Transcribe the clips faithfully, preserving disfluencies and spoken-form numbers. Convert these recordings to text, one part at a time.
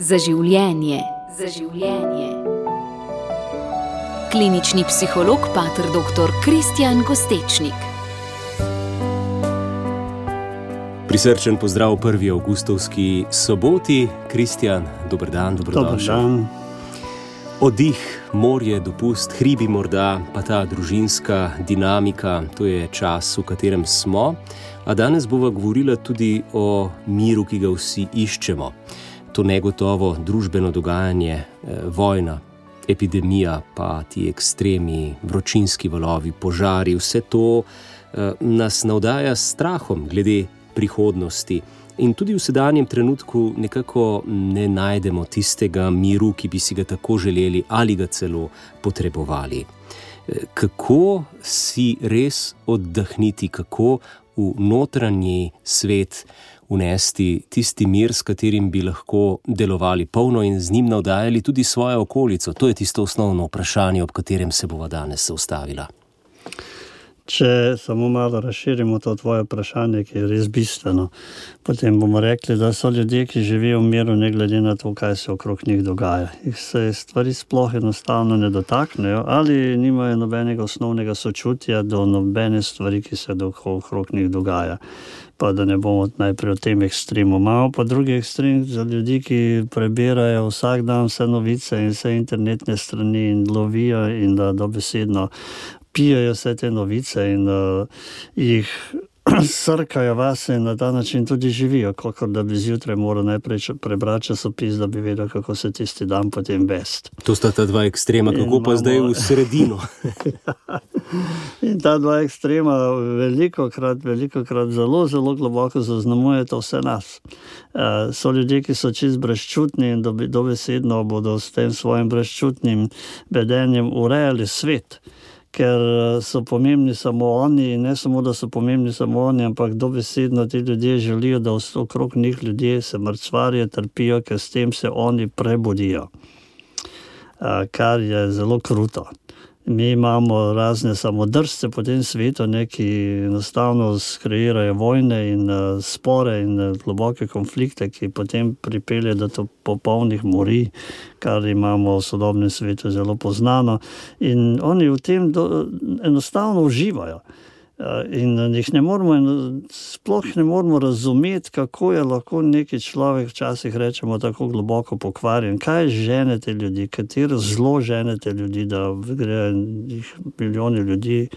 Za življenje. Za življenje. Klinični psiholog pater doktor Kristjan Kostečnik. Prisrčen pozdrav prvi avgustovski soboti. Kristjan, dober dan, dobrodošel. Dober dan. Oddih, morje, dopust, hribi morda, pa ta družinska dinamika, to je čas, v katerem smo. A danes bova govorila tudi o miru, ki ga vsi iščemo. To negotovo družbeno dogajanje, vojna, epidemija, pa ti ekstremi, vročinski valovi, požari, vse to nas navdaja s strahom glede prihodnosti. In tudi v sedanjem trenutku nekako ne najdemo tistega miru, ki bi si ga tako želeli ali ga celo potrebovali. Kako si res oddahniti, kako v notranji svet unesti tisti mir, s katerim bi lahko delovali polno in z njim navdajali tudi svojo okolico? To je tisto osnovno vprašanje, ob katerem se bova danes ustavila. Če samo malo razširimo to tvoje vprašanje, ki je res bistveno, potem bomo rekli, da so ljudje, ki živijo v miru, ne glede na to, kaj se okrog njih dogaja. Jih se stvari sploh enostavno ne dotaknejo ali nimajo nobenega osnovnega sočutja do nobene stvari, ki se okrog njih dogaja. Pa da ne bomo najprej o tem ekstremu. Imamo pa drugi ekstrem za ljudi, ki prebirajo vsak dan vse novice in vse internetne strani in lovijo in da dobesedno pijajo vse te novice in uh, jih srkajo vase in na ta način tudi živijo, kakor da bi zjutraj moral najprej prebrati časopis, da bi vedel, kako se tisti dan potem vest. To sta ta dva ekstrema, kako in pa imamo... zdaj v sredino. In ta dva ekstrema velikokrat, velikokrat zelo, zelo globoko zaznamujeta vse nas. Uh, so ljudje, ki so čist brezčutni in dobi, dobesedno bodo s tem svojim brezčutnim vedenjem urejali svet, ker so pomembni samo oni in ne samo, da so pomembni samo oni, ampak dobesedno ti ljudje želijo, da okrog njih ljudje se mrcvarijo, trpijo, ker s tem se oni prebudijo. Kar je zelo kruto. Mi imamo razne samodržce po tem svetu, ne, ki enostavno skreirajo vojne in uh, spore in uh, globoke konflikte, ki potem pripelje do popolnih morij, kar imamo v sodobnem svetu zelo poznano. In oni v tem do, enostavno uživajo. Uh, in jih ne moramo, sploh ne moramo razumeti, kako je lahko neki človek, včasih rečemo, tako globoko pokvarjen. Kaj žene te ljudi, katero zlo žene te ljudi, da gre jih milijoni ljudi,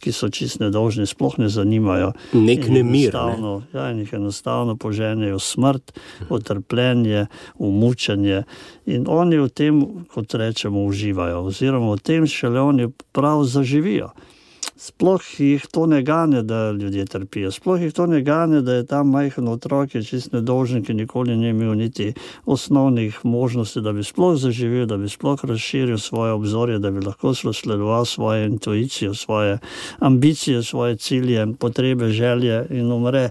ki so čist nedolžni, sploh ne zanimajo. Nek nemir, ne? Ja, in jih enostavno poženejo smrt, utrpljenje, umučenje. In oni v tem, kot rečemo, uživajo. Oziroma v tem šele oni prav zaživijo. Sploh jih to ne gane, da ljudje trpijo. Sploh jih to ne gane, da je tam majhen otrok, je čist nedolžen, ki nikoli ni imel niti osnovnih možnosti, da bi sploh zaživel, da bi sploh razširil svoje obzorje, da bi lahko sledoval svojo intuicijo, svoje ambicije, svoje cilje, potrebe, želje in umre.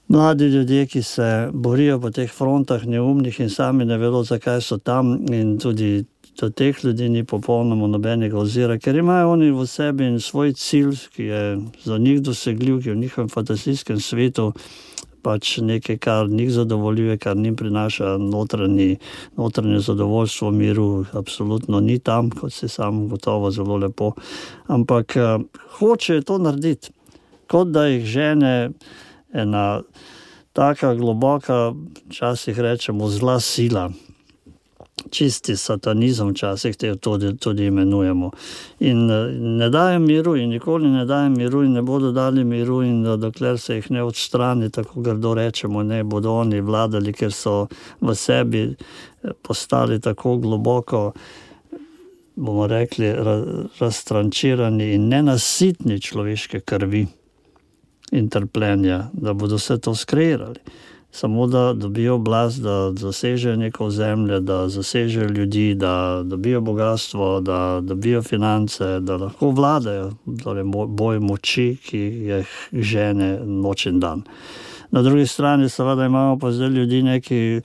Mladi ljudje, ki se borijo po teh frontah neumnih in sami ne vedo, zakaj so tam, in tudi do teh ljudi ni popolnoma nobenega ozira, ker imajo oni v sebi in svoj cilj, ki je za njih dosegljiv, ki je v njihovem fantazijskem svetu pač nekaj, kar njih zadovoljuje, kar njim prinaša notranji, notranje zadovoljstvo, miru, absolutno ni tam, kot se sam gotovo zelo lepo, ampak uh, hoče to narediti, kot da jih žene ena taka globoka, včasih rečemo zla sila, čisti satanizem, včasih te tudi, tudi imenujemo. In ne daje miru in nikoli ne daje miru in ne bodo dali miru in dokler se jih ne odstrani, tako grdo rečemo, ne bodo oni vladali, ker so v sebi postali tako globoko, bomo rekli, raztrančirani in nenasitni človeške krvi in trpljenja, da bodo vse to skreirali. Samo da dobijo oblast, da zasežejo neko zemlje, da zasežejo ljudi, da dobijo bogatstvo, da dobijo finance, da lahko vladajo, torej boj moči, ki jih žene noč in dan. Na drugi strani seveda imamo pa zdaj ljudi, neki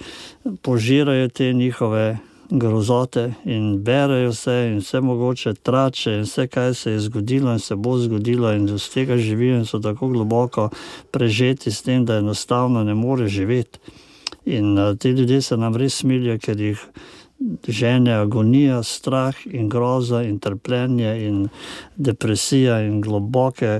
požirajo te njihove grozote in berejo vse in vse mogoče trače in vse, kaj se je zgodilo in se bo zgodilo in z tega živijo in so tako globoko prežeti s tem, da enostavno ne more živeti. In uh, ti ljudje se nam res smilijo, ker jih žene agonija, strah in groza in trpljenje in depresija in globoke,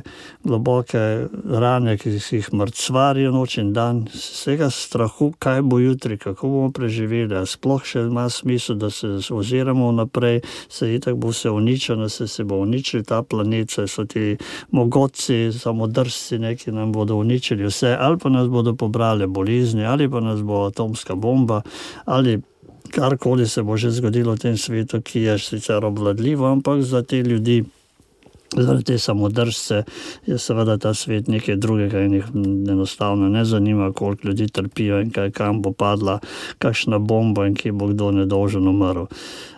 globoke rane, ki jih mrcvarijo noč in dan. Vsega strahu, kaj bo jutri, kako bomo preživeli, a sploh še ima smisel, da se oziramo naprej, se itak bo se uničeno, se, se bo uničil ta planet, se so ti mogotci, samodržci, neki nam bodo uničili vse, ali pa nas bodo pobrali bolezni, ali pa nas bo atomska bomba, ali karkoli se bo že zgodilo v tem svetu, ki je sicer obvladljivo, ampak za te ljudi, zaradi te samodržce, je seveda ta svet nekaj drugega in jih enostavno ne zanima, koliko ljudi trpijo in kaj, kam bo padla kakšna bomba in kje bo kdo nedolžen umrl.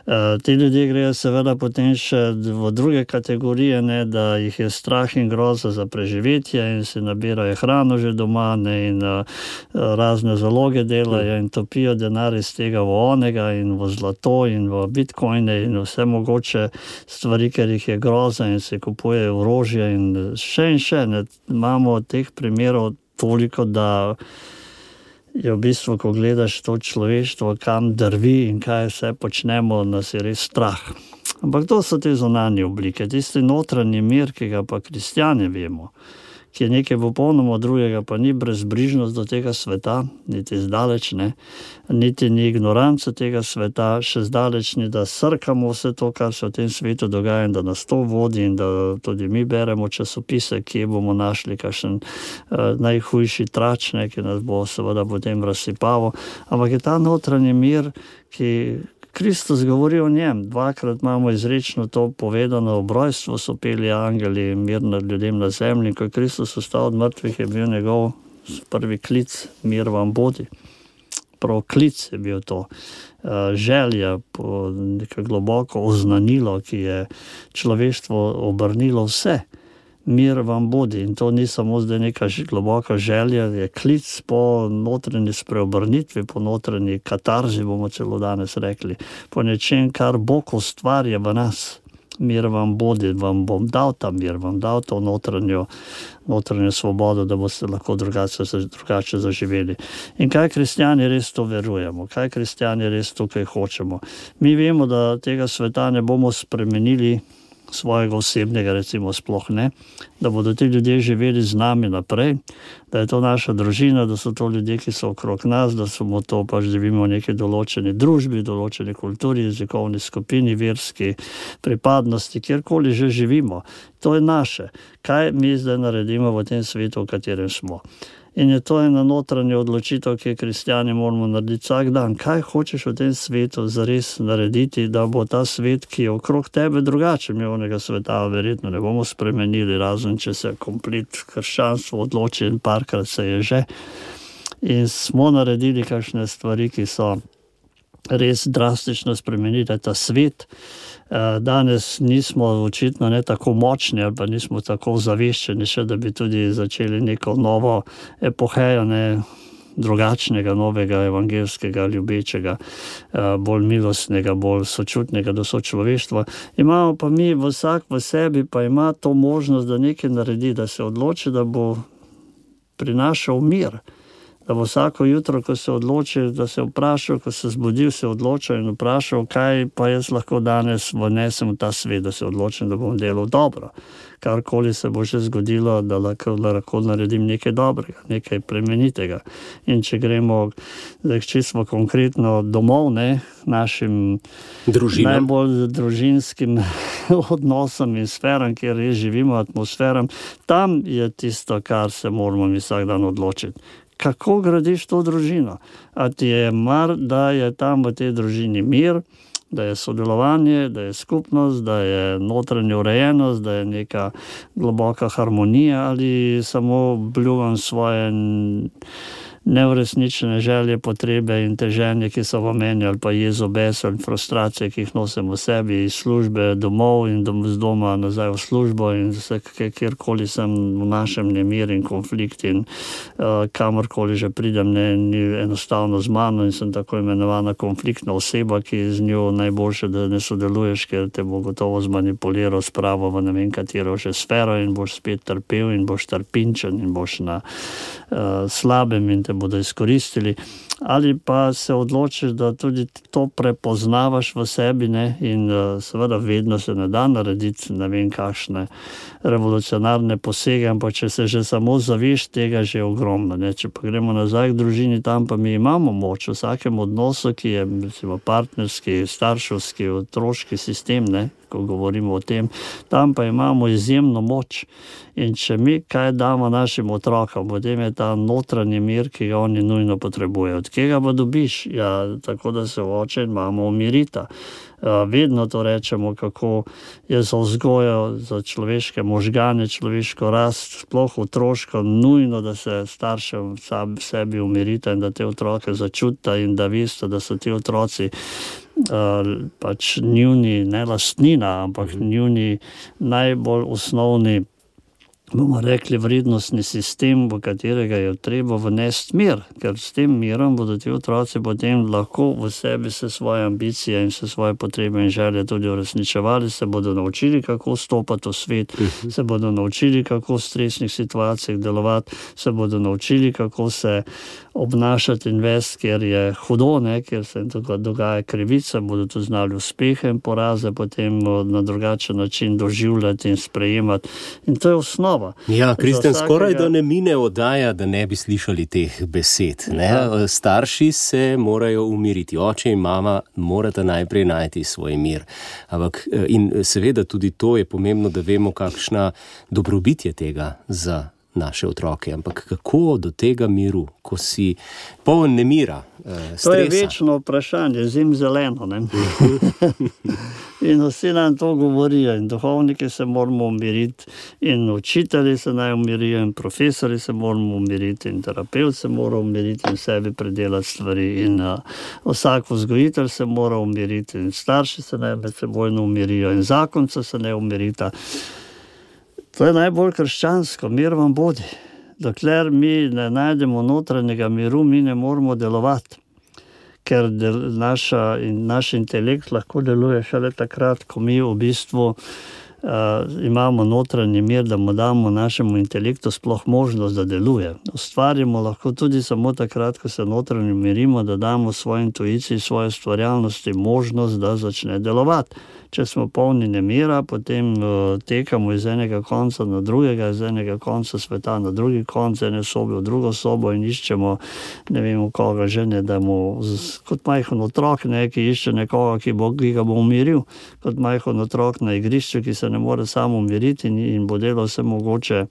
Uh, ti ljudje grejo seveda potem še v druge kategorije, ne, da jih je strah in groza za preživetje in si nabirajo hrano že doma, ne, in uh, razne zaloge delajo in topijo denar iz tega v onega in v zlato in v bitcoine in vse mogoče stvari, ker jih je groza in se kupujejo orožje in še in še. Ne. Imamo teh primerov toliko, da je v bistvu, ko gledaš to človeštvo, kam drvi in kaj vse počnemo, nas je res strah. Ampak to so te zunanje oblike, tisti notranji mir, ki ga pa kristjani vemo, ki je nekaj popolnoma drugega, pa ni brezbrižnost do tega sveta, niti zdaleč ne, niti ni ignoranca tega sveta, še zdaleč ni, da srkamo vse to, kar se v tem svetu dogaja in da nas to vodi in da tudi mi beremo časopise, kje bomo našli kakšen uh, najhujši trač, ne, ki nas bo seveda potem razsipavo. Ampak je ta notranji mir, ki Kristus govori o njem. Dvakrat imamo izrečno to povedano, ob rojstvu so peli angeli mir nad ljudem na zemlji. Ko je Kristus vstal od mrtvih, je bil njegov prvi klic, mir vam bodi. Prav klic je bil to. Želja po neko globoko oznanilo, ki je človeštvo obrnilo vse. Mir vam bodi. In to ni samo zdaj neka globoka želja, je klic po notranji spreobrnitvi, po notranji katarzi, bomo celo danes rekli, po nečem, kar Bog ustvarja v nas. Mir vam bodi, vam bom dal ta mir, vam dal to notranjo, notranjo svobodo, da boste lahko drugače, drugače zaživeli. In kaj kristjani res to verujemo, kaj kristjani res tukaj hočemo. Mi vemo, da tega sveta ne bomo spremenili, svojega osebnega recimo sploh ne, da bodo ti ljudje živeli z nami naprej, da je to naša družina, da so to ljudje, ki so okrog nas, da smo to pač živimo v neki določeni družbi, določeni kulturi, jezikovni skupini, verski pripadnosti, kjerkoli že živimo. To je naše. Kaj mi zdaj naredimo v tem svetu, v katerem smo? In je to ena notranja odločitev, ki je kristjani moramo narediti vsak dan. Kaj hočeš v tem svetu zares narediti, da bo ta svet, ki je okrog tebe drugače, mi onega sveta verjetno ne bomo spremenili, razen če se komplet krščanstvo odloči in parkrat se je že. In smo naredili kakšne stvari, ki so res drastično spremenili ta svet. Danes nismo očitno ne tako močni ali pa nismo tako zaveščeni še, da bi tudi začeli neko novo epohejo, ne, drugačnega, novega, evangelskega, ljubečega, bolj milostnega, bolj sočutnega do sočloveštva. Imamo pa mi, vsak v sebi pa ima to možnost, da nekaj naredi, da se odloči, da bo prinašal mir. Da bo vsako jutro, ko se odloči, da se vprašal, ko se zbudil, se odločil in vprašal, kaj pa jaz lahko danes vnesem v ta svet, da se odločim, da bom delal dobro. Karkoli se bo že zgodilo, da lahko, da lahko naredim nekaj dobrega, nekaj plemenitega. In če gremo, zdaj čisto konkretno domov, ne, našim družinam, najbolj družinskim odnosom in sferam, kjer res živimo, atmosferam, tam je tisto, kar se moramo mi vsak dan odločiti. Kako gradiš to družino? A ti je mar, da je tam v tej družini mir, da je sodelovanje, da je skupnost, da je notranja urejenost, da je neka globoka harmonija, ali samo bljuvam svoje neuresničene želje, potrebe in teženje, ki so v meni, ali pa jezo, bes ali frustracije, ki jih nosim v sebi iz službe domov in dom, z doma nazaj v službo in vse, kjerkoli sem v našem nemir in konflikt in uh, kamorkoli že pridem, ne, ni enostavno z mano in sem tako imenovana konfliktna oseba, ki z njo najboljše, da ne sodeluješ, ker te bo gotovo zmanipuliral spravo v ne vem katero že sfero in boš spet trpel in boš trpinčen in boš na uh, slabem in te te bodo izkoristili, ali pa se odločiš, da tudi to prepoznavaš v sebi, ne, in seveda vedno se ne da narediti ne vem kakšne revolucionarne posege, ampak če se že samo zaveš tega, že je ogromno, ne. Če pa gremo nazaj k družini, tam pa mi imamo moč v vsakem odnosu, ki je recimo partnerski, starševski, otroški sistem, ne, ko govorimo o tem, tam pa imamo izjemno moč. In če mi kaj damo našim otrokom, potem je ta notranji mir, ki ga oni nujno potrebujejo. Od kega pa dobiš? Ja, tako da se oče in mama umirita. Vedno to rečemo, kako je za vzgojo, za človeške možgane, človeško rast, sploh otroško, nujno, da se staršev sam sebi umirita in da te otroke začutita in da veste, da so ti otroci uh, pač njuni, ne lastnina, ampak njuni najbolj osnovni, bomo rekli, vrednostni sistem, v katerega je treba vnesti mir, ker s tem mirom bodo ti otroci potem lahko v sebi se svoje ambicije in se svoje potrebe in želje tudi uresničevali, se bodo naučili, kako stopati v svet, se bodo naučili, kako v stresnih situacijah delovati, se bodo naučili, kako se obnašati in vesti, ker je hudo, ne, ker se dogaja krivica, bodo tu znali uspehe in poraze potem na drugačen način doživljati in sprejemati. In to je osnova. Ja, Kristjan, vsakega... skoraj da ne mine oddaja, da ne bi slišali teh besed. Ne? Ja. Starši se morajo umiriti, oče in mama morata najprej najti svoj mir. Ampak, in seveda tudi to je pomembno, da vemo, kakšna dobrobit je tega za naše otroke. Ampak kako do tega miru, ko si poln nemira, stresa? To je večno vprašanje, zim zeleno, ne? In vsi nam to govorijo, in duhovniki se moramo umiriti, in učitelji se naj umirijo, in profesori se moramo umiriti, in terapevt se mora umiriti in sebi predelati stvari, in uh, vsak vzgojitelj se mora umiriti, in starši se naj med sebojno umirijo, in zakonca se ne umirita. To je najbolj krščansko, mir vam bodi. Dokler mi ne najdemo notranjega miru, mi ne moramo delovati. Ker del, naša, in naš intelekt lahko deluje šele takrat, ko mi v bistvu uh, imamo notranji mir, da mu damo našemu intelektu sploh možnost, da deluje. Ustvarimo lahko tudi samo takrat, ko se notranji mirimo, da damo svoji intuiciji, svoje stvarjalnosti možnost, da začne delovati. Če smo polni nemira, potem uh, tekamo iz enega konca na drugega, iz enega konca sveta na drugi konc, ene sobe v drugo sobo in iščemo, ne vemo koga že, ne, da mu z, kot majhen otrok, ne, ki išče nekoga, ki, bo, ki ga bo umiril, kot majhen otrok na igrišču, ki se ne more sam umiriti in, in bo delal vse mogoče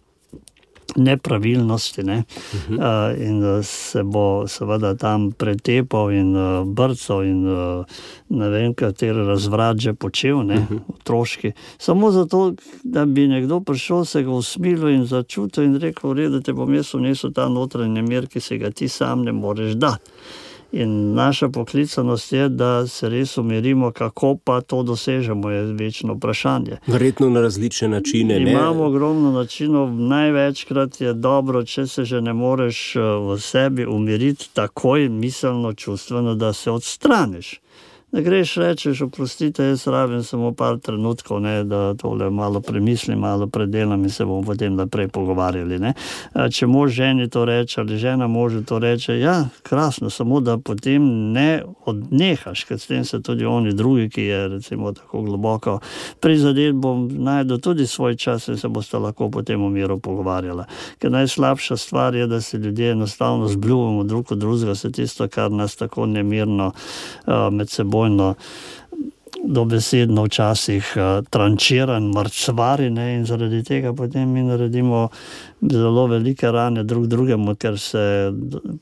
nepravilnosti, ne? Uh-huh. uh, in uh, se bo seveda tam pretepal in uh, brcal in uh, ne vem, kateri razvrat že počel, ne? Uh-huh. Otroški. Samo zato, da bi nekdo prišel, se ga usmilil in začutil in rekel, v redu, te bom jaz vnesel ta notranji mir, ki se ga ti sam ne moreš dati. In naša poklicanost je, da se res umirimo, kako pa to dosežemo, je večno vprašanje. Verjetno na različne načine, ne? Imamo ogromno načinov, največkrat je dobro, če se že ne moreš v sebi umiriti takoj miselno, čustveno, da se odstraniš. Da greš, rečeš, oprostite, jaz rabim samo par trenutkov, ne, da tole malo premislim, malo predelam in se bomo potem naprej pogovarjali. Ne. Če mož ženi to reče ali žena možu to reče, ja, krasno, samo da potem ne odnehaš, ker s tem se tudi oni drugi, ki je recimo tako globoko prizadet, bom najdel tudi svoj čas in se boste lahko potem v miru pogovarjala. Ker najslabša stvar je, da se ljudje enostavno zbljuvamo drug od drugega, se tisto, kar nas tako nemirno uh, med seboj dobesedno včasih uh, trančira in mrcvari, ne, in zaradi tega potem mi naredimo zelo velike rane drug drugemu, ker se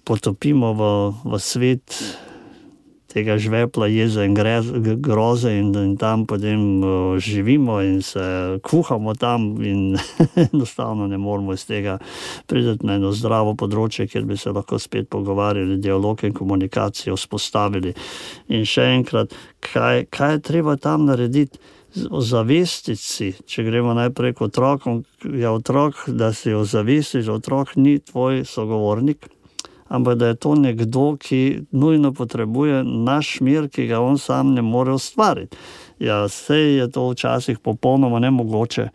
potopimo v, v svet tega žvepla, jeze in grez, groze in, in tam potem uh, živimo in se kuhamo tam in enostavno ne moramo iz tega priti na eno zdravo področje, kjer bi se lahko spet pogovarjali, dialog in komunikacijo vzpostavili. In še enkrat, kaj, kaj je treba tam narediti? Ozavestiti si, če gremo najprej k otrokom, je otrok, da si ozavestiš, že otrok ni tvoj sogovornik, ampak da je to nekdo, ki nujno potrebuje naš mir, ki ga on sam ne more ustvariti. Ja, sej je to včasih popolnoma nemogoče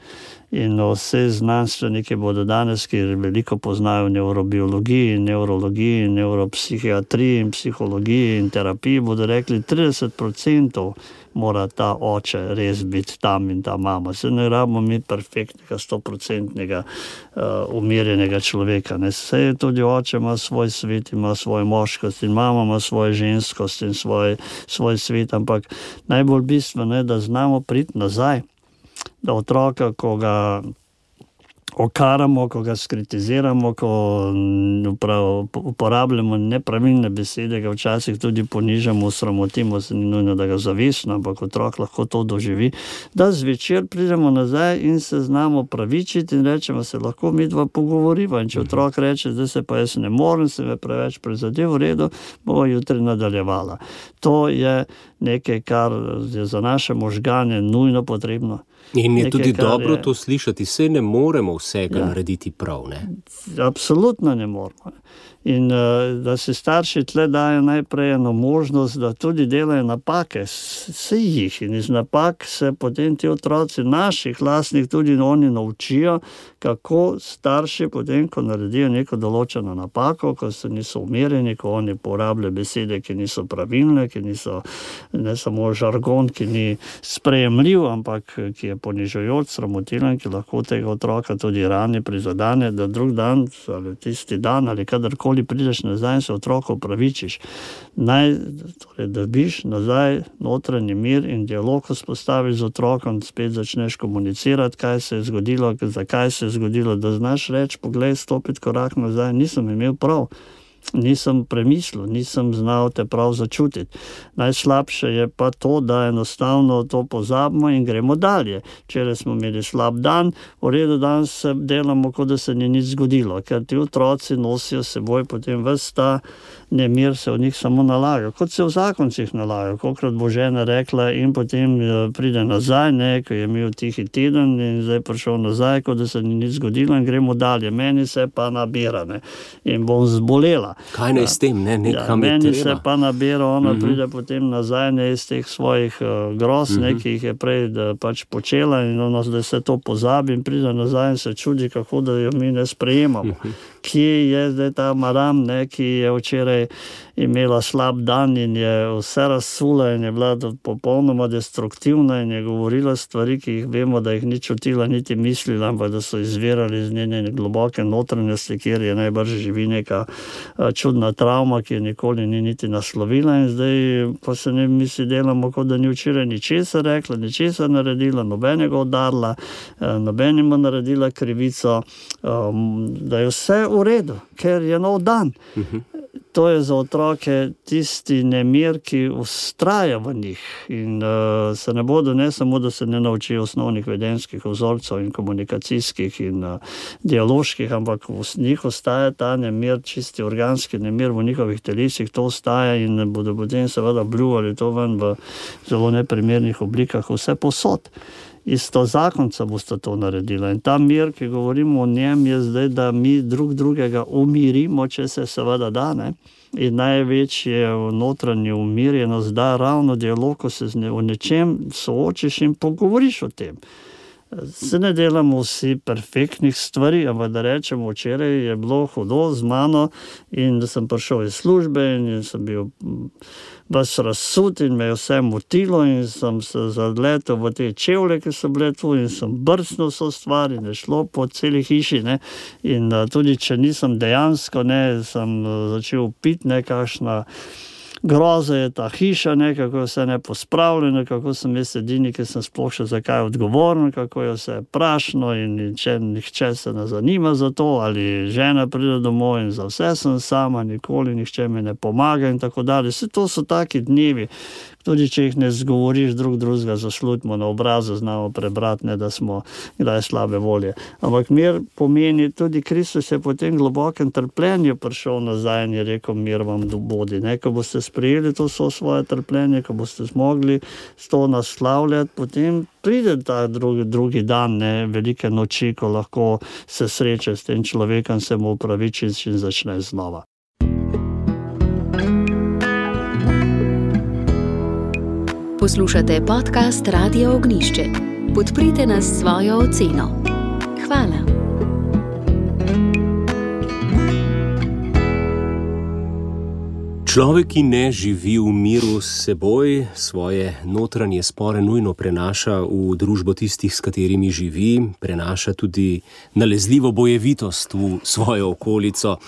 In vse znanstveniki bodo danes, ki veliko poznajo nevrobiologiji, neurologiji, neuropsihiatriji in psihologiji in terapiji, bodo rekli, trideset procentov mora ta oče res biti tam in ta mama. Se ne rabimo mi perfektnega, stoprocentnega uh, umirjenega človeka. Ne? Se tudi oče ima svoj svet, ima svojo moškost in mama ima svojo ženskost in svoj, svoj svet, ampak najbolj bistveno je, da znamo priti nazaj, da otroka, ko ga okaramo, ko ga skritiziramo, ko uporabljamo nepravilne besede, ga včasih tudi ponižamo, sramotimo, se ni nujno, da ga zavestno, ampak otrok lahko to doživi, da zvečer pridemo nazaj in se znamo pravičiti in rečemo, se lahko mi dva pogovoriva. In če otrok reče, zdaj se pa jaz ne morem, se me preveč prizadel, v redu, bomo jutri nadaljevala. To je nekaj, kar je za naše možgane nujno potrebno. In je nekaj, tudi dobro je... to slišati, saj ne moremo vsega ja. narediti prav, ne? Absolutno ne moremo. In da se starši tle dajo najprej eno možnost, da tudi delajo napake, se jih in iz napak se potem ti otroci naših lastnih tudi oni naučijo, kako starši potem, ko naredijo neko določeno napako, ko se niso umirjeni, ko oni porabljajo besede, ki niso pravilne, ki niso ne samo žargon, ki ni sprejemljiv, ampak ki je ponižujoč, sramotilen, ki lahko tega otroka tudi rani, prizadane, da drug dan ali tisti dan ali kadarkoli prideš nazaj in se otroku opravičiš. Naj, torej, dobiš nazaj notranji mir in dialog vzpostaviš z otrokom, spet začneš komunicirati, kaj se je zgodilo, zakaj se je zgodilo, da znaš reči, poglej, stopiti korak nazaj, nisem imel prav. Nisem premislil, nisem znal te prav začutiti. Najslabše je pa to, da enostavno to pozabimo in gremo dalje. Včeraj smo imeli slab dan, v redu dan se delamo, kot da se ni nič zgodilo, ker ti otroci nosijo seboj potem ves ta nemir, se v njih samo nalaga, kot se v zakoncih nalaga. Kolikrat bo žena rekla in potem pride nazaj, ne, ko je imel tihi teden in zdaj prišel nazaj, kot da se ni nič zgodilo in gremo dalje. Meni se pa nabira, ne, in bom zbolela. Kaj naj s tem, ne, nekam ja, je treba. Meni se pa nabira, ona uh-huh. pride potem nazaj, ne, iz teh svojih uh, groz, uh-huh. ne, ki jih je prej da, pač počela in ona zdaj se to pozabi in pride nazaj in se čudi, kako da jo mi ne sprejemamo. Uh-huh. Kje je zdaj ta Maram, ne, ki je včeraj imela slab dan in je vse razsula in je bila popolnoma destruktivna in je govorila stvari, ki jih vemo, da jih ni čutila, niti mislila, ampak da so izvirali iz njene globoke notranjosti, kjer je najbrž živi neka čudna travma, ki je nikoli ni niti naslovila in zdaj, ko se ne mi si delamo, kot da ni včeraj ničesar rekla, ničesar naredila, nobenega udarila, nobenima naredila krivico, da je vse v redu, ker je nov dan. Uh-huh. To je za otroke tisti nemir, ki ustraja v njih in uh, se ne bodo, ne samo, da se ne naučijo osnovnih vedenjskih vzorcev in komunikacijskih in uh, dialoških, ampak v njih ostaja ta nemir, čisti organski nemir v njihovih telesih, to ostaja in bodo potem seveda bljuvali to ven v zelo neprimernih oblikah, vse posod. Isto zakonca boste to naredila. In ta mir, ki govorimo o njem, je zdaj, da mi drug drugega umirimo, če se seveda da, ne? In največje v notranji umirjenost da ravno dialog, ko se o nečem soočiš in pogovoriš o tem. Se ne delamo vsi perfektnih stvari, ampak da rečemo, včeraj je bilo hudo z mano in da sem prišel iz službe in sem bil vas razsut in me je vse motilo in sem se zadletel v te čevlje, ki so bile tu in sem brcnil so stvar in je šlo po celi hiši, ne. In uh, tudi, če nisem dejansko, ne, sem uh, začel piti nekakšna groza je ta hiša, ne, kako je vse nepospravljeno, kako sem jaz edini, ki sem sploh še za kaj odgovoren, kako je vse prašno in če nihče se ne zanima za to, ali žena pride domov in za vse sem sama, nikoli nihče mi ne pomaga in tako dalje. Vse to so taki dnevi, tudi če jih ne zgovoriš drug drugega, zaslutimo na obrazu, znamo prebrati, ne, da smo kdaj slabe volje. Ampak mir pomeni, tudi Kristus je po tem globokem trpljenju prišel nazaj in je rekel, mir vam bodi. Ne, ko boste sprejeli to so svoje trpljenje, ko boste zmogli s to naslavljati, potem pride ta drugi, drugi dan, ne, velike noči, ko lahko se sreče s tem človekom, se mu upravičiš in začne znova. Poslušate podcast Radio Ognišče. Podprite nas s svojo oceno. Hvala. Človek, ki ne živi v miru s seboj, svoje notranje spore nujno prenaša v družbo tistih, s katerimi živi, prenaša tudi nalezljivo bojevitost v svojo okolico.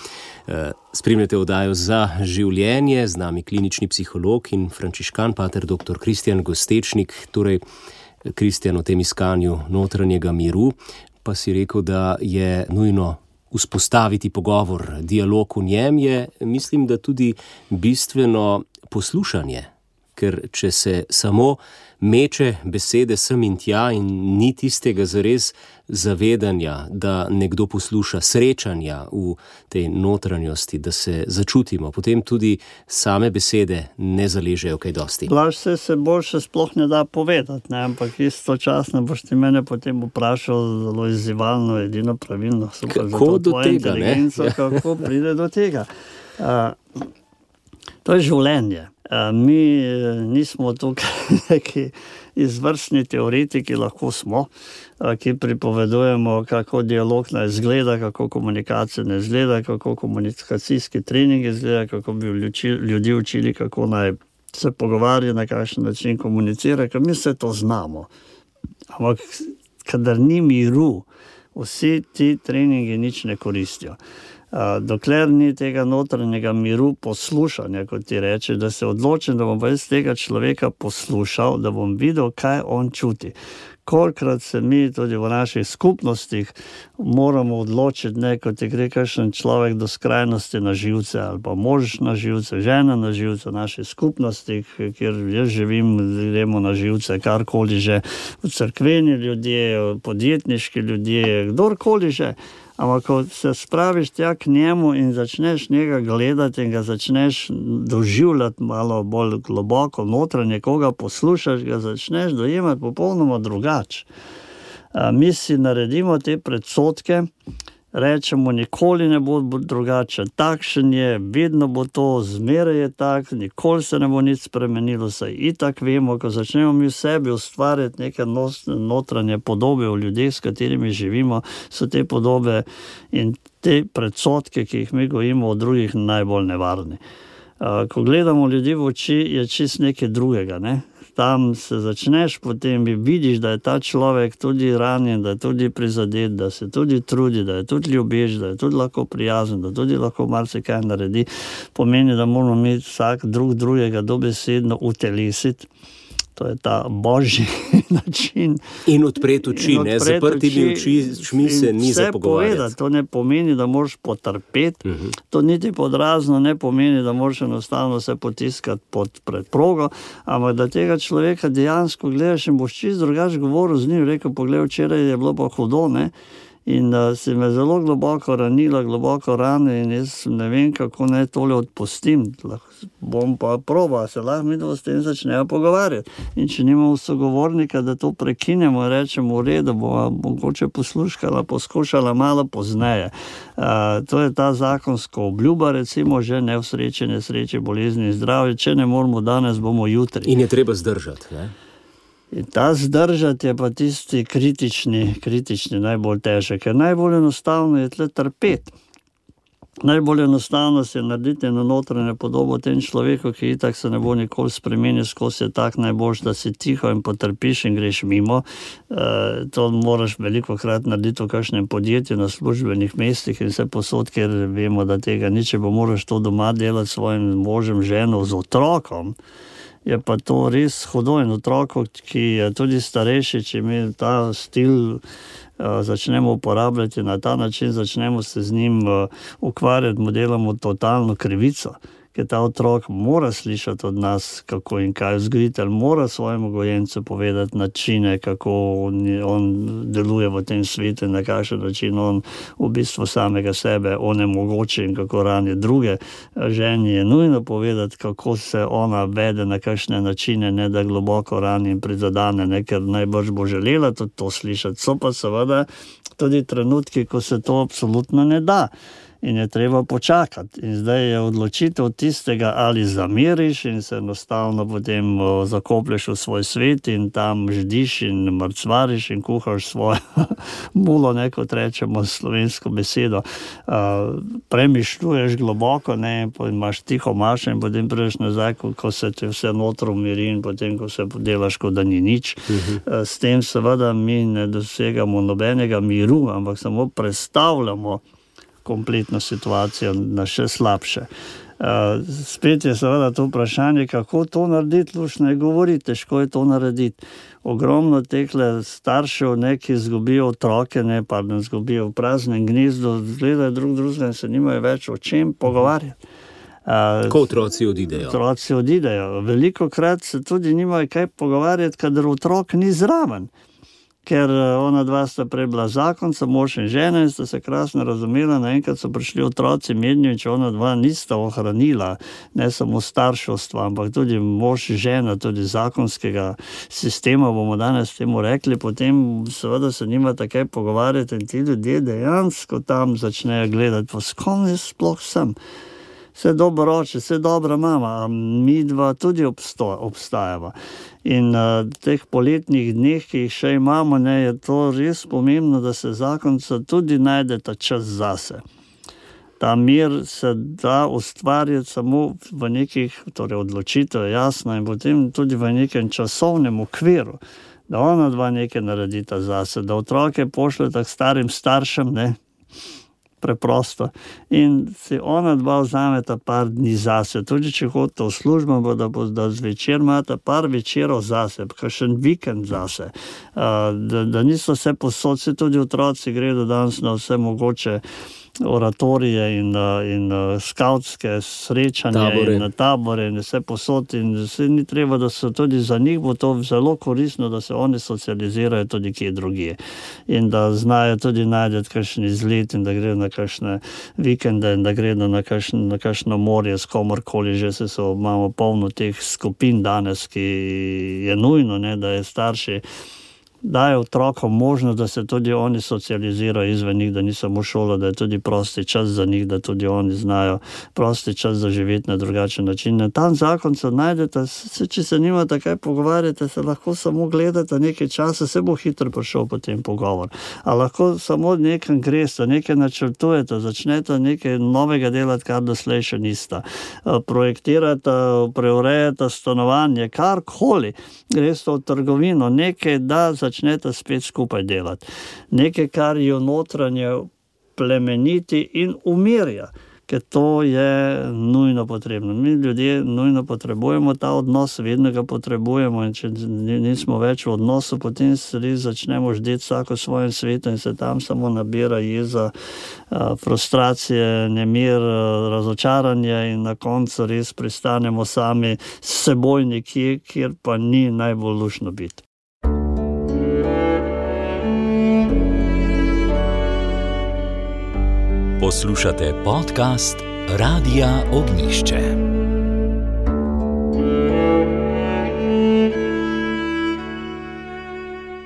Spremljate oddajo Za življenje, z nami klinični psiholog in frančiškan pater doktor Kristjan Gostečnik, torej Kristjan, o tem iskanju notranjega miru, pa si rekel, da je nujno vzpostaviti pogovor, dialog v njem je, mislim, da tudi bistveno poslušanje, ker če se samo meče besede sem in tja in ni tistega zares zavedanja, da nekdo posluša, srečanja v tej notranjosti, da se začutimo, potem tudi same besede ne zaležejo kaj dosti. Laž se se boljše sploh ne da povedati, ne? Ampak istočasno boš ti mene potem vprašal zelo izzivalno, edino pravilno. Super, kako do tega, ne? Ja. Kako pride do tega? Uh, to je življenje. Uh, mi nismo tukaj neki izvrstni teoretiki, lahko smo, uh, ki pripovedujemo, kako dialog naj izgleda, kako komunikacija ne izgleda, kako komunikacijski trening izgleda, kako bi ljudi učili, kako naj se pogovarja, na kakšen način komunicira, ker mi vse to znamo. Ampak kadar ni miru, vsi ti treningi nič ne koristijo. Uh, dokler ni tega notranjega miru poslušanja, kot ti reče, da se odločim, da bom pa iz tega človeka poslušal, da bom videl, kaj on čuti. Kolikrat se mi tudi v naših skupnostih moramo odločiti, ne, kot ti gre kakšen človek do skrajnosti na živce, ali pa mož na živce, žena na živce v naših skupnostih, kjer jaz živim, gremo na živce, karkoli že, v cerkveni ljudje, podjetniški ljudje, kdorkoli že. Ampak ko se spraviš tja k njemu in začneš njega gledati in ga začneš doživljati malo bolj globoko notranje, koga poslušaš, ga začneš dojemati popolnoma drugače. Mi si naredimo te predsodke, rečemo, nikoli ne bo drugače, takšen je, vedno bo to, zmeraj je tak, nikoli se ne bo nič spremenilo, saj itak vemo, ko začnemo mi v sebi ustvarjati neke notranje podobe v ljudeh, s katerimi živimo, so te podobe in te predsodke, ki jih mi gojimo od drugih, najbolj nevarni. Ko gledamo ljudi v oči, je čist nekaj drugega, ne? Tam se začneš, potem vidiš, da je ta človek tudi ranjen, da je tudi prizadet, da se tudi trudi, da je tudi ljubeč, da je tudi lahko prijazen, da tudi lahko marsikaj naredi. Pomeni, da moramo mi vsak drug drugega dobesedno utelesiti. To je ta božji način. In odpreti oči, ne? Zaprtimi očmi se ni za pogovarjati. To ne pomeni, da moraš potrpeti, uh-huh. To niti podrazno ne pomeni, da moraš enostavno se potiskati pod predprogo, ampak da tega človeka dejansko gledaš in boš čist drugače govoril z njim, rekel, poglej, včeraj je bilo pa hudo, ne? In uh, si me zelo globoko ranila, globoko rane in jaz ne vem, kako naj tole odpustim. Lahko, bom pa probal, se lahko mi s tem začnejo pogovarjati. In če nimamo sogovornika, da to prekinemo in rečemo, v redu, bo mogoče poslušala, poskušala malo pozneje. Uh, to je ta zakonsko obljuba, recimo, že ne v sreče, nesreče, bolezni in zdravje. Če ne moramo danes, bomo jutri. In je treba zdržati, ne? In ta zdržati je pa tisti kritični, kritični najbolj težek, ker najbolj enostavno je tle trpeti. Najbolj enostavno se je narediti eno notranje podobo tem človeku, ki itak se ne bo nikoli spremenil, skozi je tak najboljš, da si tiho in potrpiš in greš mimo. E, to moraš veliko krat narediti v kakšnem podjetju, na službenih mestih in vse posod, ker vemo, da tega ni, če bo moraš to doma delati s svojim možem, ženo, z otrokom. Je pa to res hudo in otrok, ki je tudi starejši, če mi ta stil uh, začnemo uporabljati na ta način, začnemo se z njim uh, ukvarjati, mu delamo totalno krivico. Ker ta otrok mora slišati od nas, kako in kaj vzgojitelj, mora svojemu gojencu povedati načine, kako on, on deluje v tem svetu, na kakšen način on v bistvu samega sebe onemogoči in kako rani druge. Ženi je nujno povedati, kako se ona vede, na kakšne načine, ne da globoko rani in prizadane, ne, ker najbrž bo želela tudi to slišati. So pa seveda tudi trenutki, ko se to absolutno ne da. in je treba počakati. In zdaj je odločitev tistega, ali zameriš in se enostavno potem zakoplješ v svoj svet in tam ždiš in mrcvariš in kuhaš svojo mulo, ne, kot rečemo slovensko besedo. Uh, premišljuješ globoko, ne, in imaš tiho mašo in potem prideš nazaj, ko, ko se ti vse notro umiri in potem, ko se delaš, kot da ni nič. Uh-huh. Uh, s tem seveda mi ne dosegamo nobenega miru, ampak samo predstavljamo kompletno situacijo na še slabše. Uh, spet je seveda to vprašanje, kako to narediti, luštno je govoriti, težko je to narediti. Ogromno tehle staršev, ne, ki zgubijo otroke, ne, pardon, zgubijo v praznem gnezdu, gledajo drug drugega in se nimajo več o čem pogovarjati. Uh, Ko otroci odidejo. Otroci odidejo. Veliko krat se tudi nimajo kaj pogovarjati, kadar otrok ni zraven. Ker ona dva sta prej bila zakonca, mož in žena, in sta se krasno razumela, naenkrat so prišli otroci mednjo in če ona dva nista ohranila ne samo starševstva, ampak tudi mož in žena, tudi zakonskega sistema, bomo danes temu rekli, potem seveda se nima takaj pogovarjati in ti ljudje dejansko tam začnejo gledati, pa s kom jaz sploh sem. Vse dobro oče, vse dobra mama, a mi dva tudi obsto, obstajava. In uh, teh poletnih dneh, ki jih še imamo, ne, je to res pomembno, da se zakonca tudi najde ta čas zase. Ta mir se da ustvarjati samo v nekih, torej odločitev je jasno, in potem tudi v nekem časovnem okviru, da ona dva nekaj naredita zase, da otroke pošljeta k starim staršem, ne, preprosto. In si ona dva vzameta par dni zase. Tudi če hodite v službo, da, da zvečer imate par večerov zase, kakšen vikend zase. Uh, da, da niso vse posod, se tudi otroci gredo danes na vse mogoče oratorije in, in skautske srečanja tabore. In tabore in vse posod in vse ni treba, da so tudi za njih bo to zelo koristno, da se oni socializirajo tudi kje drugje in da znajo tudi najti kakšen izlet in da gredo na kakšne vikende in da gredo na, kakšn, na kakšno morje s komorkoli, že se so, imamo polno teh skupin danes, ki je nujno, ne, da je starši dajo otrokom možnost, da se tudi oni socializirajo izven njih, da ni samo šola, da je tudi prosti čas za njih, da tudi oni znajo prosti čas zaživeti na drugačen način. Na tam zakonca najdete, se, če se nimate kaj pogovarjate, se lahko samo gledate nekaj časa, se bo hitro prišel potem pogovor. A lahko samo nekaj greste, nekaj načrtujete, začnete nekaj novega delati, kar doslej še nista. Projektirate, preurejate stanovanje, karkoli, greste v trgovino, nekaj da začnete spet skupaj delati. Nekaj, kar jo notranje plemeniti in umirja, ker to je nujno potrebno. Mi ljudje nujno potrebujemo ta odnos, vedno ga potrebujemo in če nismo več v odnosu, potem se res začnemo ždeti vsako svojem svetu in se tam samo nabira jeza, frustracije, nemir, razočaranje in na koncu res pristanemo sami s seboj nekje, kjer pa ni najbolj luštno biti. Poslušate podcast Radia Ognjišče.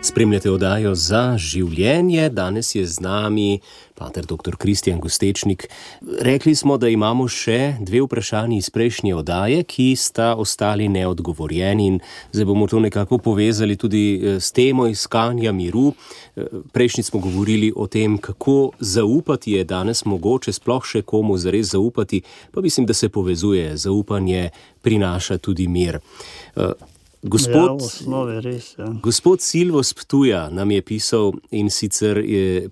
Spremljate oddajo Za življenje. Danes je z nami pater doktor Kristjan Gostečnik. Rekli smo, da imamo še dve vprašanji iz prejšnje oddaje, ki sta ostali neodgovorjeni in zdaj bomo to nekako povezali tudi s temo iskanja miru. Prejšnji smo govorili o tem, kako zaupati je danes mogoče, sploh še komu zares zaupati, pa mislim, da se povezuje. Zaupanje prinaša tudi mir. Gospod, ja, v osnovi res, ja. Gospod Silvo z Ptuja nam je pisal in sicer je,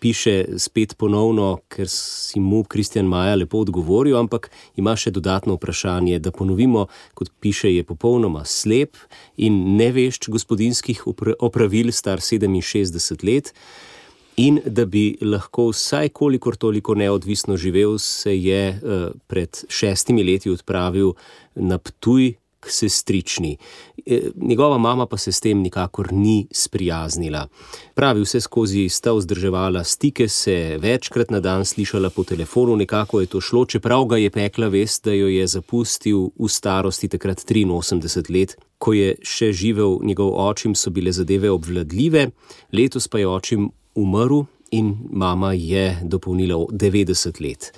piše spet ponovno, ker si mu Kristjan Maja lepo odgovoril, ampak ima še dodatno vprašanje, da ponovimo, kot piše, je popolnoma slep in nevešč gospodinskih opravil, star sedeminšestdeset let, in da bi lahko vsaj kolikor toliko neodvisno živel, se je uh, pred šestimi leti odpravil na Ptuj k sestrični. Njegova mama pa se s tem nikakor ni sprijaznila. Pravi, vse skozi sta vzdrževala stike, se večkrat na dan slišala po telefonu, nekako je to šlo, čeprav ga je pekla vest, da jo je zapustil v starosti takrat triinosemdeset let. Ko je še živel njegov očim, so bile zadeve obvladljive, letos pa je očim umrl in mama je dopolnila devetdeset let.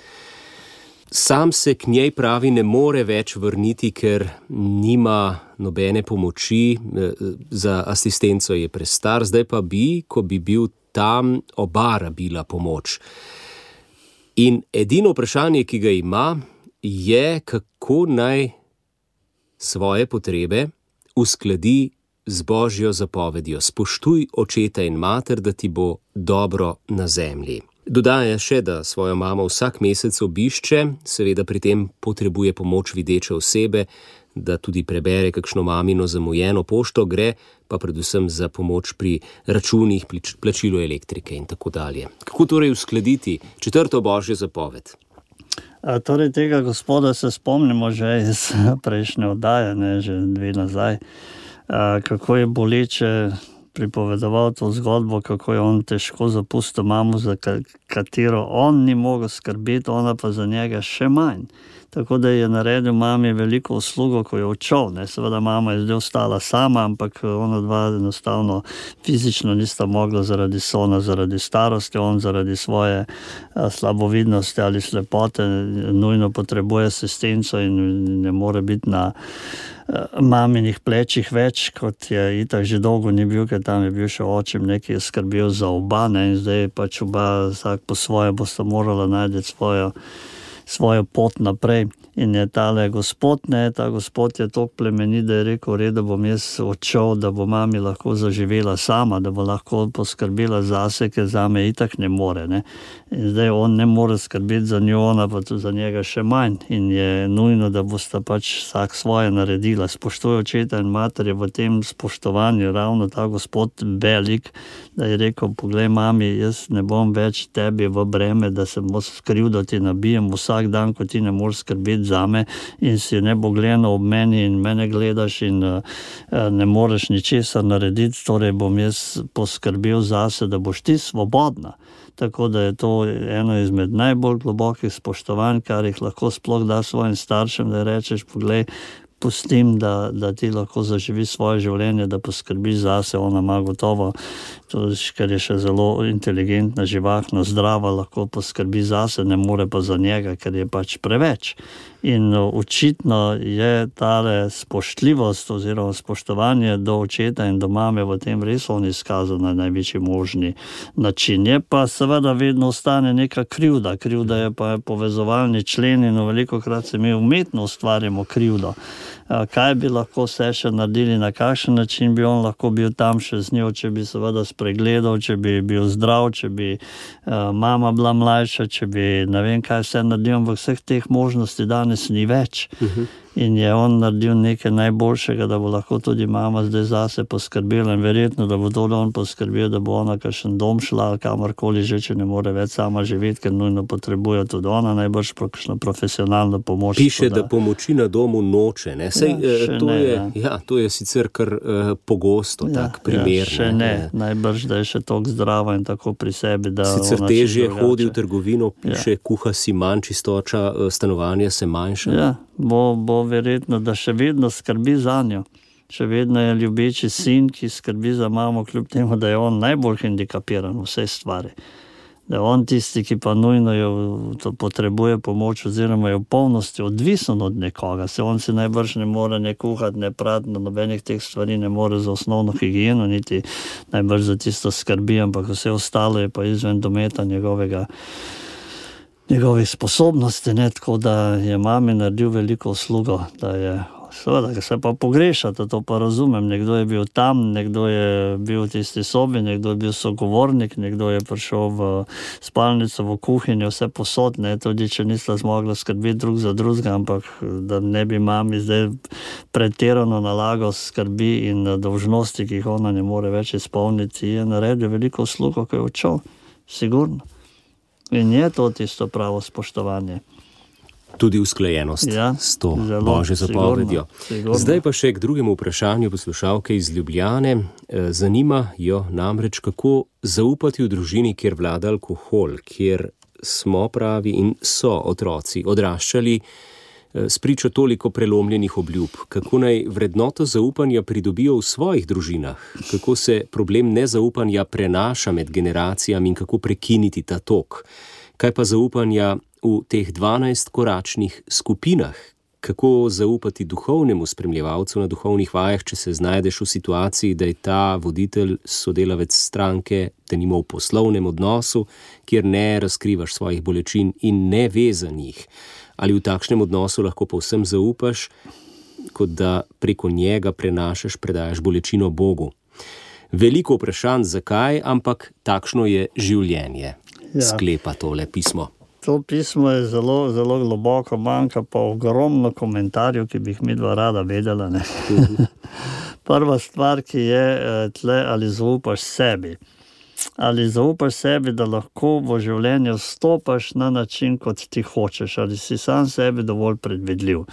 Sam se k njej pravi ne more več vrniti, ker nima nobene pomoči, za asistenco je prestar, zdaj pa bi, ko bi bil tam, oba rabila pomoč. In edino vprašanje, ki ga ima, je, kako naj svoje potrebe uskladi z Božjo zapovedjo. Spoštuj očeta in mater, da ti bo dobro na zemlji. Dodaja še, da svojo mamo vsak mesec obišče, seveda pri tem potrebuje pomoč videče osebe, da tudi prebere kakšno mamino zamujeno pošto, gre pa predvsem za pomoč pri računih, plačilu elektrike in tako dalje. Kako torej uskladiti četrto Božjo zapoved? A, torej tega gospoda se spomnimo že iz prejšnje oddaje, ne, že dve nazaj, a, kako je boleče pripovedoval to zgodbo, kako je on težko zapustil mamo, za katero on ni mogel skrbeti, ona pa za njega še manj. Tako da je naredil mami veliko uslugo, ko je odšel. Ne. Seveda mama je zdaj ostala sama, ampak ona dva enostavno fizično nista mogla zaradi sona, zaradi starosti, on zaradi svoje a, slabovidnosti ali slepote nujno potrebuje asistenco in ne more biti na maminih plečih več, kot je itak že dolgo ni bil, ker tam je bil še očem, nekaj je skrbel za oba, ne, in zdaj pač oba vsak po svoje bosta morala najti svojo, svojo pot naprej. In je tale gospod, ne, ta gospod je toliko plemenit, da je rekel, v redu, bom jaz odšel, da bo mami lahko zaživela sama, da bo lahko poskrbela zase, ker zame itak ne more, ne. In zdaj on ne more skrbeti za njo, ona pa tudi za njega še manj. In je nujno, da bosta pač vsak svoje naredila. Spoštuje očeta in mater je v tem spoštovanju ravno ta gospod velik, da je rekel, poglej mami, jaz ne bom več tebi v breme, da se bo skriv, da ti nabijem vsak dan, ko ti ne moreš skrbeti zame in si nebogljeno ob meni in mene gledaš in uh, ne moreš ničesar narediti, torej bom jaz poskrbel zase, da boš ti svobodna. Tako da je to eno izmed najbolj globokih spoštovanj, kar jih lahko sploh da svojim staršem, da rečeš, poglej, pustim, da, da ti lahko zaživi svoje življenje, da poskrbi zase, ona ima gotovo, to, ker je še zelo inteligentna, živahna, zdrava, lahko poskrbi zase, ne more pa za njega, ker je pač preveč. In očitno je tale spoštljivost oziroma spoštovanje do očeta in do mame v tem res on izkazal na največji možni način. Je pa seveda vedno ostane neka krivda. Krivda je pa povezovalni člen in velikokrat se mi umetno ustvarjamo krivdo. Kaj bi lahko se še naredili, na kakšen način bi on lahko bil tam še z njo, če bi seveda spregledal, če bi bil zdrav, če bi uh, mama bila mlajša, če bi ne vem kaj vse naredil, ampak vseh teh možnosti danes ni več. Uh-huh. In je on naredil nekaj najboljšega, da bo lahko tudi mama zdaj zase poskrbela in verjetno, da bo tudi on poskrbel, da bo ona kakšen dom šla ali kamorkoli že, če ne more več sama živeti, ker nujno potrebuje tudi ona najbrž kakšno profesionalno pomoč. Piše, da pomoči na domu noče, ne? Sej, ja, to, ne, je, ja. Ja, to je sicer kar uh, pogosto, ja, tak primer. Ja, še ne, ne. Najbrž, da je še toliko zdrava in tako pri sebi, da sicer težje hodi v trgovino, piše, ja. Kuha si manj, čistoča stanovanja se manjša. Ja, bo, bo verjetno, da še vedno skrbi za njo. Še vedno je ljubeči sin, ki skrbi za mamo, kljub temu, da je on najbolj hendikapiran v vse stvari. Da je on tisti, ki pa nujno jo potrebuje pomoč oziroma je v polnosti odvisen od nekoga. Se on si najbrž ne more ne kuhati, ne prati, nobenih teh stvari ne more za osnovno higieno, niti najbrž za tisto skrbi, ampak vse ostalo je pa izven dometa njegovega njegovih sposobnosti, ne, tako da je mami naredil veliko uslugo, da je, seveda, se pa pogrešate, to pa razumem, nekdo je bil tam, nekdo je bil v tisti sobi, nekdo je bil sogovornik, nekdo je prišel v spalnico, v kuhinjo, vse posod, ne, tudi če nista zmogla skrbeti drug za drugega, ampak da ne bi mami zdaj pretirano nalagal skrbi in dolžnosti, ki jih ona ne more več izpolniti, je naredil veliko uslugo, ko je odšel, sigurno. In je to tisto pravo spoštovanje. Tudi usklajenost ja, s to Božjo zapovedjo. Zdaj pa še k drugemu vprašanju poslušalke iz Ljubljane. Zanima jo namreč, kako zaupati v družini, kjer vlada alkohol, kjer smo pravi in so otroci odraščali spričo toliko prelomljenih obljub, kako naj vrednoto zaupanja pridobijo v svojih družinah, kako se problem nezaupanja prenaša med generacijami in kako prekiniti ta tok. Kaj pa zaupanja v teh dvanajst koračnih skupinah? Kako zaupati duhovnemu spremljevalcu na duhovnih vajah, če se znajdeš v situaciji, da je ta voditelj sodelavec stranke, da nima v poslovnem odnosu, kjer ne razkrivaš svojih bolečin in ne ve za njih? Ali v takšnem odnosu lahko povsem zaupaš, kot da preko njega prenašaš, predajaš bolečino Bogu? Veliko vprašanj, zakaj, ampak takšno je življenje, ja. Sklepa tole pismo. To pismo je zelo, zelo globoko, manjka pa ogromno komentarjev, ki bi jih midva rada vedela. Ne? Prva stvar, ki je tle, ali zaupaš sebi. Ali zaupaš sebi, da lahko v življenju stopaš na način, kot ti hočeš, ali si sam sebi dovolj predvidljiv.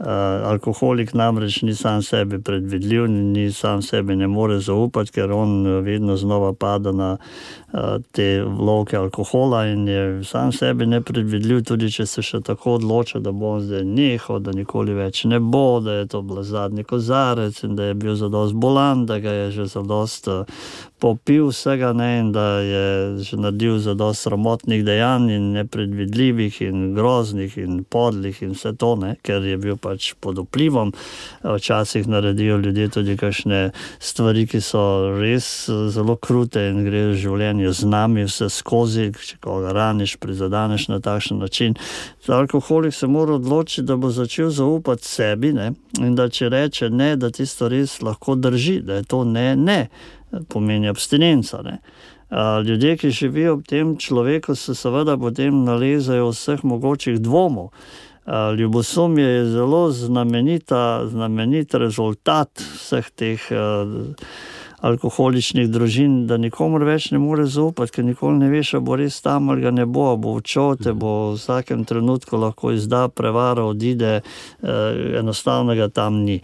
Uh, alkoholik namreč ni sam sebi predvidljiv, ni sam sebi ne more zaupati, ker on vedno znova pada na uh, te vloke alkohola in je sam sebi nepredvidljiv, tudi če se še tako odloča, da bo on zdaj nehal, da nikoli več ne bo, da je to bil zadnji kozarec in da je bil zadost bolan, da ga je že zadost uh, popil vsega, ne, in da je že naredil zadost sramotnih dejanj in nepredvidljivih in groznih in podlih in vse to, ne, ker je bil pač pod vplivom. Včasih naredijo ljudje tudi kakšne stvari, ki so res zelo krute in gre v življenju z nami vse skozi, če koga raniš, prizadaneš na takšen način. Alkoholik se mora odločiti, da bo začel zaupati sebi, ne, in da če reče ne, da tisto res lahko drži, da je to ne, ne, pomeni abstinenca, ne. Ljudje, ki živijo v tem človeku, se seveda potem nalezajo vseh mogočih dvomov. Ljubosumje je zelo znamenita, znamenit rezultat vseh teh uh, alkoholičnih družin, da nikomor več ne more zaupati, ker nikoli ne veš, a bo res tam ali ga ne bo, a bo odšel, te bo v vsakem trenutku lahko izda, prevara, odide, uh, enostavno ga tam ni.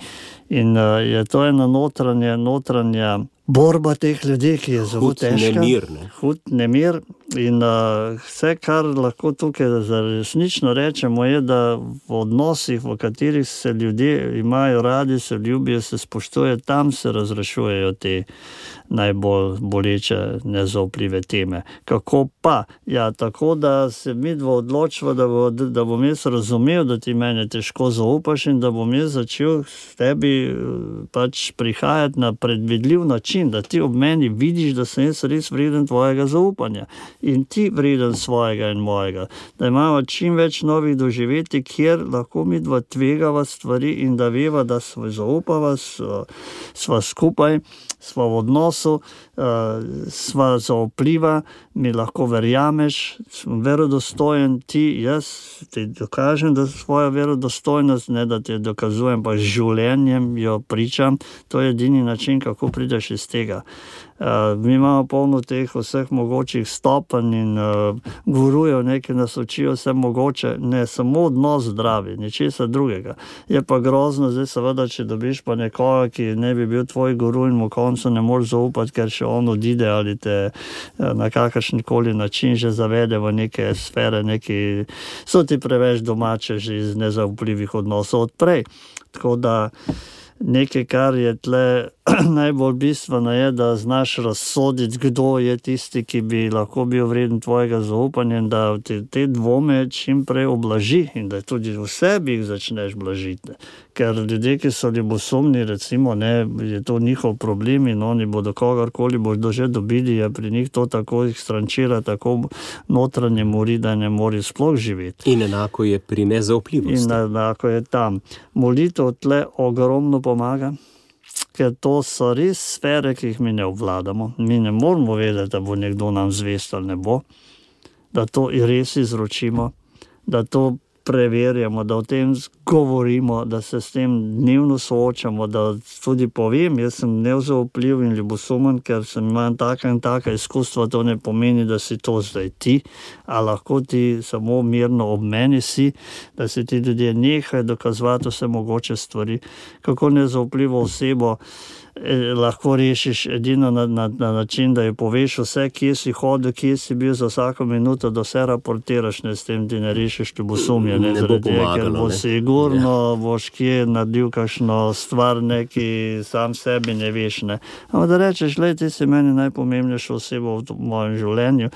In uh, je to ena notranja, notranja borba teh ljudi, ki je zelo hud težka. Nemir, ne? Hud nemir. In uh, vse, kar lahko tukaj resnično rečemo, je, da v odnosih, v katerih se ljudje imajo radi, se ljubijo, se spoštuje, tam se razrešujejo te najbolj boleče, nezaupljive teme. Kako pa? Ja, tako, da se midva odločiva, da, bo, da bom jaz razumel, da ti mene težko zaupaš in da bom jaz začel s tebi pač prihajati na predvidljiv način, da ti ob meni vidiš, da sem jaz res vreden tvojega zaupanja in ti vreden svojega in mojega. Da imamo čim več novih doživetij, kjer lahko midva tvegava stvari in da veva, da sva zaupava, sva, sva skupaj, sva v odnosu, uh, sva zaupljiva, mi lahko verjameš, sem verodostojen, ti, jaz ti dokažem, da svojo verodostojnost, ne da ti dokazujem, pa z življenjem jo pričam, to je edini način, kako prideš iz tega. Uh, mi imamo polno teh vseh mogočih stopenj in uh, gurujev, nekaj nas učijo vse mogoče, ne samo odnos zdravi, ničesar drugega. Je pa grozno, zdaj seveda, če dobiš pa nekoga, ki ne bi bil tvoj guru in mu koncu ne moreš zaupati, ker še on odide ali te uh, na kakršnikoli način že zavede v neke sfere, neki, so ti preveč domače že iz nezaupljivih odnosov odprej. Tako da nekaj, kar je tle najbolj bistveno, je, da znaš razsoditi, kdo je tisti, ki bi lahko bil vreden tvojega zaupanja in da te, te dvome čim prej oblaži in da tudi v sebi jih začneš blažiti. Ker ljudje, ki so ljubosumni, recimo, ne, je to njihov problem in oni bodo kogarkoli bodo že dobili, je pri njih to tako jih strančira, tako notranje mori, da ne mori sploh živeti. In enako je pri nezaupljivosti. In enako je tam. Molitev tle ogromno pomaga, ker to so res sfere, ki jih mi ne obvladamo. Mi ne moramo vedeti, da bo nekdo nam zvest ali ne bo, da to res izročimo, da to preverjamo, da o tem govorimo, da se s tem dnevno soočamo, da tudi povem, jaz sem nezaupljiv in ljubosumen, ker sem imam taka in taka izkustva, to ne pomeni, da si to zdaj ti, a lahko ti samo mirno ob meni si, da si ti ljudje nehaj dokazovati vse mogoče stvari, kako nezaupljivo osebo lahko rešiš edino na, na, na način, da ji poveš vse, kje si hodil, kje si bil za vsako minuto, da vse raportiraš, ne s tem ti ne rešiš ljubosumja, življenje. Ne, ne bo pomagalo. Ker bo sigurno, ja. boš kje naredil kakšno stvar, neki sam sebi ne veš. Ne. Ampak da rečeš, glej, ti si meni najpomembnejša oseba v mojem življenju.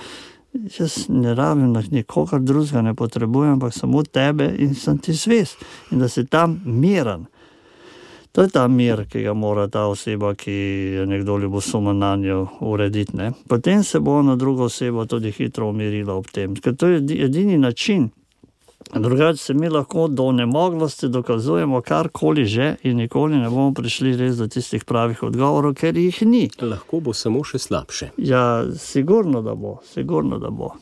Jaz ne rabim nikogar drugega, ne potrebujem, ampak samo tebe in sem ti zvest. In da si tam miren. To je ta mir, ki ga mora ta oseba, ki je nekdo ljubosumen na njo urediti. Ne? Potem se bo na drugo osebo tudi hitro umirila ob tem. Ker to je edini način. Drugače se mi lahko do nemoglosti dokazujemo karkoli že in nikoli ne bomo prišli res do tistih pravih odgovorov, ker jih ni. Lahko bo samo še slabše. Ja, sigurno da bo, sigurno da bo.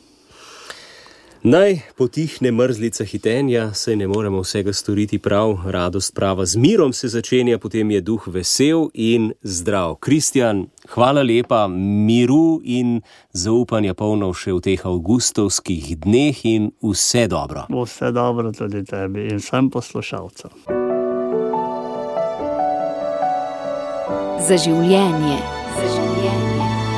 Naj potihne mrzlica hitenja, saj ne moremo vsega storiti prav, radost prava z mirom se začenja, potem je duh vesel in zdrav. Kristjan, hvala lepa, miru in zaupanja polno še v teh avgustovskih dneh in vse dobro. Vse dobro tudi tebi in vsem poslušalcem. Za življenje. Za življenje.